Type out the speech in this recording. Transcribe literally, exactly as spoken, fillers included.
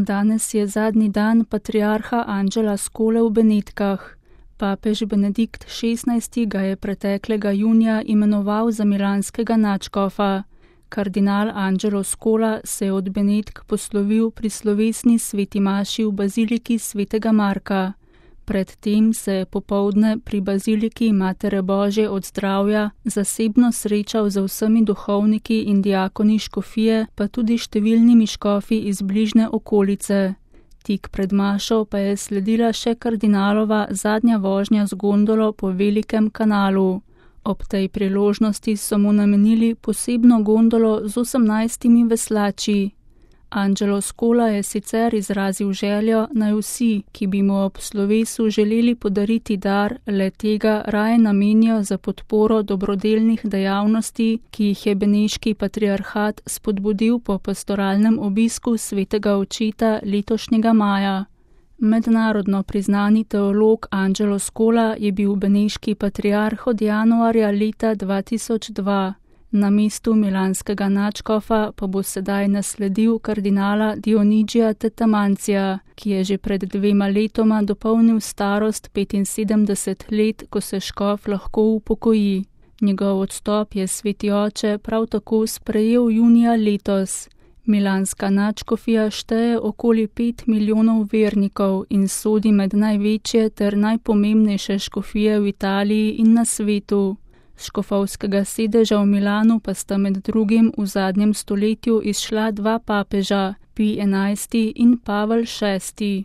Danes je zadnji dan patriarha Angela Scole v Benetkah. Papež Benedikt šestnajsti ga je preteklega junija imenoval za milanskega nadškofa. Kardinal Angelo Scola se je od Benetk poslovil pri slovesni sveti maši v baziliki svetega Marka. Predtem se je popoldne pri baziliki Matere Božje od zdravja zasebno srečal z vsemi duhovniki in diakoni škofije, pa tudi številnimi škofi iz bližnje okolice. Tik pred mašo pa je sledila še kardinalova zadnja vožnja z gondolo po Velikem kanalu. Ob tej priložnosti so mu namenili posebno gondolo z osemnajstimi veslači. Angelo Scola je sicer izrazil željo, naj vsi, ki bi mu ob slovesu želeli podariti dar, le tega raje namenijo za podporo dobrodelnih dejavnosti, ki jih je beneški patriarhat spodbudil po pastoralnem obisku svetega očeta letošnjega maja. Mednarodno priznani teolog Angelo Scola je bil beneški patriarh od januarja leta dva tisoč dva. Na mestu milanskega nadškofa pa bo sedaj nasledil kardinala Dionigija Tetamancija, ki je že pred dvema letoma dopolnil starost petinsedemdeset let, ko se škof lahko upokoji. Njegov odstop je sveti oče prav tako sprejel junija letos. Milanska nadškofija šteje okoli pet milijonov vernikov in sodi med največje ter najpomembnejše škofije v Italiji in na svetu. S škofovskega sedeža v Milanu pa sta med drugim v zadnjem stoletju izšla dva papeža, Pij enajsti in Pavel šesti.